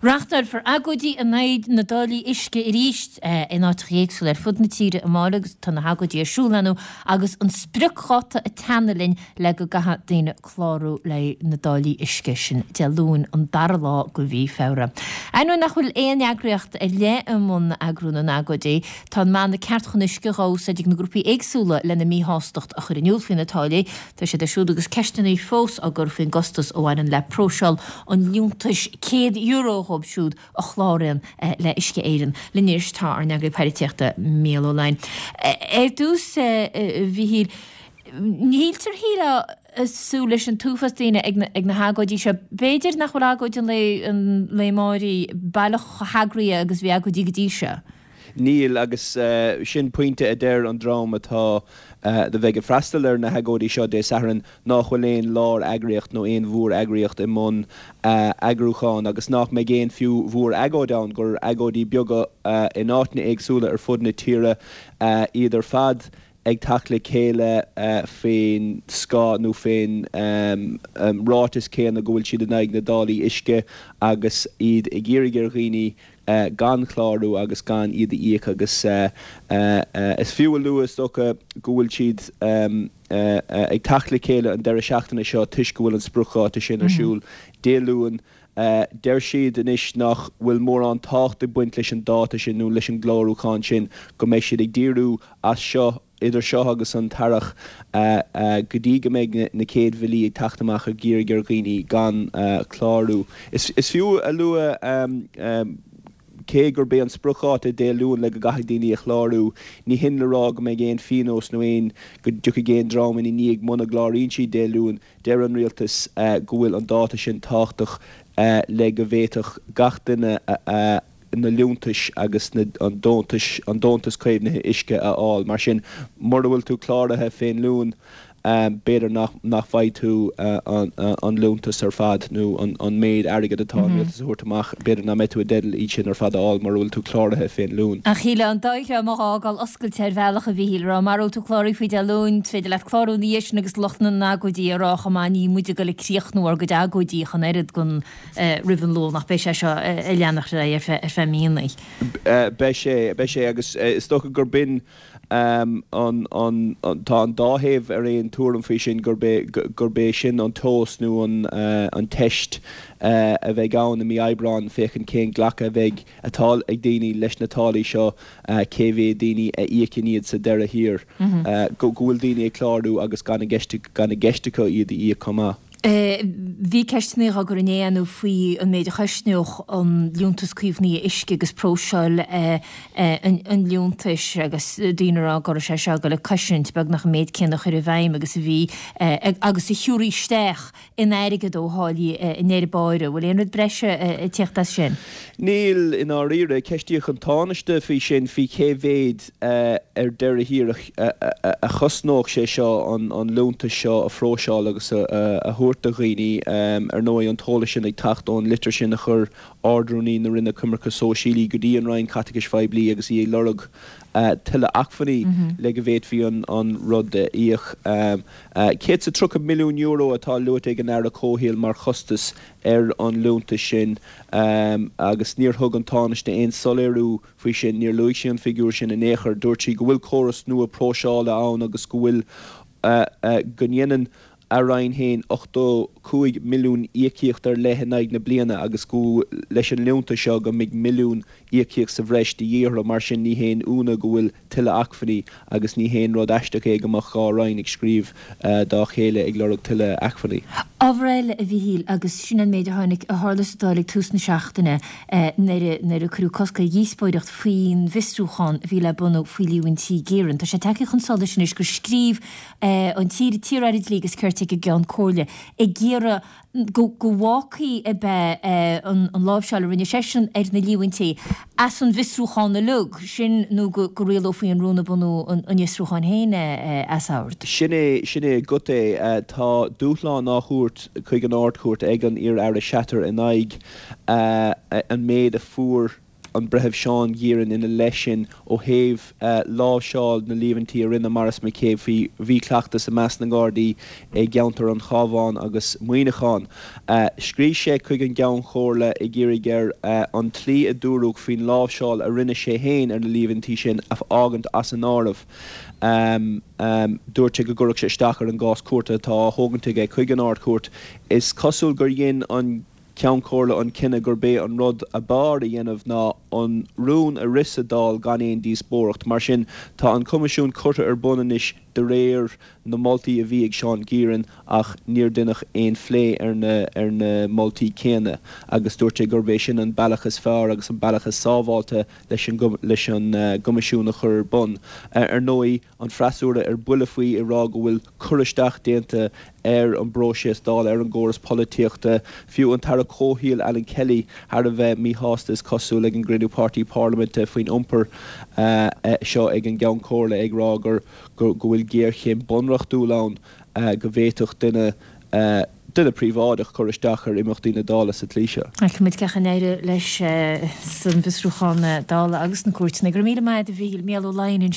Reáchtálfar agóidí in aghaidh na dtáillí uisce arís in áiteacha éagsúla ar fud na tíre amárach agus tá na hagóidí ar siúl inniu agus an spriocdháta ag teannadh linn le go gcaithfidh daoine clárú le na dtáillí uisce sin Dé Luain an dara lá de mhí Feabhra. Ainneoin nach bhfuil aon eagraíocht ar leith i mbun eagrú na n-agóidí, tá an mana 'Ceart chun Uisce' á úsáid ag na grúpaí éagsúla lena míshástacht a chur in iúl faoi na táillí. Tá siad ar siúl agus ceisteanna fós á gcur faoin gcostas a bhaineann le próiseáil an liúntais €100 dhóibh siúd a chláraíonn le Uisce Éireann. Linn anois tá ár n-eagraí poilitíochta, Mícheál Ó Laighin. Ar dtús, a Mhíchíl, ní shíltear shílfeá ag súil leis an t-uafás daoine ag na hagóidí seo. B'fhéidir nach bhfuil agóid an lae amáirigh baileach chomh heagraithe agus a bhí agóidí go dtí seo. Níl, agus sin pointe a deir an dream atá do bheidh ag freastal ar na hagóidí seo Dé Sathairn, nách bhfuil aon lár-eagraíocht nó aon mhór-eagraíocht i mbun eagrúcháin agus nách mbeidh aon fiú mhór-agóid ann, gur agóidí beaga in áiteanna éagsúla ar fud na tíre iad ar fad ag teacht le chéile faoin scáth nó faoin ráiteas céanna go bhfuil siad in aghaidh na dtáillí uisce agus iad ag iarraidh ar dhaoine gan chlárú agus gan iad a íoc agus is fiú a lua is dócha go bhfuil siad ag teacht le chéile an deireadh seachtaine seo toisc go bhfuil an spriocdháta sin ar siúl Dé Luain. Deir siad anois nach bhfuil mórán tábhacht ag baint leis an dáta sin nó leis an gclárúchán sin, go mbeidh siad ag díriú as seo Idir seo agus an t-earrach, go dtí go mbeidh na chéad bhillí ag teacht amach ag iarraidh ar dhaoine gan clárú. Is fiú a lua, cé gurb é an spriocdháta Dé Luain le go gcaithfidh daoine a chlárú, ní hin le rá go mbeidh aon phionós nó aon, go dtiocfaidh aon dream ina ndiaidh muna gcláraíonn siad Dé Luain. Deir an Rialtas go bhfuil an dáta sin tábhachtach le go bhféadfadh gach duine a. na liúntais agus na an deontais an deontas caomhnaithe uisce a fháil. Mar sin, mura bhfuil tú cláraithe fén Luan, b'fhéidir nach nach bhfaighidh tú an an liúntas ar fad nó an an méid airgid atá an rialtas a thabhairt amach, b'fhéidir nach mbeidh tú i dteideal iad sin ar fad a fháil mura bhfuil tú cláraithe fén Luan. Ach shílfeá an dá dhream a dh'fhágáil oscailte ar bhealach, a Mhíchíl, a rá mara bhfuil tú cláraithe faoi Dé Luain, is féidir leat clárú ina dhiaidh sin agus lucht na n-agóidí a rá chomh maith níl muid ag dul ag críochnú ár gcuid agóidí ach an oiread don roimh an Luan ach beidh sé seo ag leanacht ar aghaidh ar feadh míonna. Beidh sé, beidh sé agus is dócha gur b'in an, an, tá an dá thaobh ar aon tuairim faoi sin, gurb é, gurb é sin an tomhas nó an, an teist a bheidh ann i mí Aibreáin féachaint cén glacadh a bheidh, atá ag daoine leis na táillí seo, cé mhéad daoine a íocann iad sa deireadh thiar, go, go bhfuil daoine ag clárú agus gan i gceist, gan i gceist acu iad a íoc chomh maith. Bhí ceisteanna á gcur inné ann faoi an méid a chosnódh an Liúntas Caomhnaithe Uisce agus próiseáil an liúntais agus daoine ag rá go raibh sé seo ag dul ag cosaint beagnach an méid céanna a chur i bhfeidhm agus a bhí agus a thiúrfaí isteach in airgead ó tháillí i ndeireadh báire. Bhfuil aon rud breise ag tíocht as sin? Níl, i ndáiríre. Ceistíodh an Tánaiste faoi sin, faoi cé mhéad ar deireadh thiar a chosnódh sé seo an liúntas seo a phróiseáil agus a thabhairt do dhaoine. Ar ndóigh, an t-eolas sin ag teacht ón litir sin a chuir Ard-Rúnaí na Roinne Coimirce Sóisialaí go dtí an Roinn Caiteachais Phoiblí agus í ag lorg tuilleadh acmhainní le go bhféadfaí an rud a íoc. €130 milliún atá luaite ag an Aire Comhshaoil mar chostas ar an liúntas sin agus níor thug an Tánaiste aon soiléiriú faoi sin. Níor luaigh sí an figiúr sin in aon chor. Dúirt sí go bhfuil córas nua próiseála ann agus go bhfuil go ndéanann a Roinn féin 85 milliún íocaíocht ar leith in aghaidh na bliana agus go leis an liúntas seo go mbeidh milliún íocaíocht sa bhreis de dhíth orthu. Mar sin ní haon ionadh go bhfuil tuilleadh acmhainní agus ní haon rud aisteach é go mbeadh 2 Roinn ag scríobh dá chéile ag lorg tuilleadh acmhainní. Ábhar eile, a Mhíchíl, agus sin an méid a tháinig, a tharla sa Dáil ag tús na seachtaine nuair a, nuair a cuireadh cosc ar dhíospóireacht faoin bhfiosrúchán a bhí le bunú faoi líomhaintí Geiran. Tá sé tagtha chun solais anois gur scríobh an t-iar-Aire Dlí agus Cirt ag an gCeann Comhairle ag iarraidh go bhfágfaí ab ea an láimhseáil a rinne seisean ar na líomhaintí as an bhfiosrúchán uilig, sin nó go rialófaí an rún ag bunú an fhiosrúcháin féin as ord. Sin é, sin é agat é. Tá dúshlán á thabhairt chuig an Ard-Chúirt ag an iar-Aire Shatter in aghaidh an méid a fuair. an Breitheamh Seán Geiran ina leith sin ó thaobh láimhseáil na líomhaintí a rinne Maurice McCabe faoi mhíchleachtas i measc na nGardaí i gceantar an Chabháin agus Muineachán. Scríobh sé chuig an gCeann Comhairle ag iarraidh air an tslí a dúradh faoin láimhseáil a rinne sé féin ar na líomhaintí sin a fhágaint as an áireamh. Dúirt sé go gcuirfeadh sé isteach ar an gcás cúirte atá á thógaint aige chuig an Ard-Chúirt. Is cosúil gur dhein an Ceann Comhairle an cinneadh gurb é an rud ab fhearr a dhéanamh ná an rún a rith sa Dáil gan aon díospóireacht. Mar sin, tá an Coimisiún curtha ar bun anois de réir na moltaí a bhí ag Seán Geiran ach níor deineadh aon phlé ar na ar na moltaí céanna agus dúirt sé gurb é sin an bealach is fearr agus an bealach is sábháilte leis an leis an gCoimisiún a chur ar bun. Ar ndóigh, an freasúra ar buile faoi ag rá go bhfuil cur isteach déanta ar an bpróiseas Dála, ar an gcóras polaitíochta. Fiú an tAire Comhshaoil Alan Kelly thar a bheith míshásta is cosúil ag an gcruinniú páirtí parlaiminte faoin iompar seo ag an gCeann Comhairle ag rá gur go bhfuil géarchéim bunreachtúil ann go bhféadfadh duine duine príobháideach cur isteach ar imeachtaí na Dála sa tslí seo. Feicfimid cén chaoi a n-éireoidh leis san bhfiosrúchán Dála agus sna cúirteanna. Go raibh míle maith agat a Mhíchíl. Mícheál Ó Laighin ansin.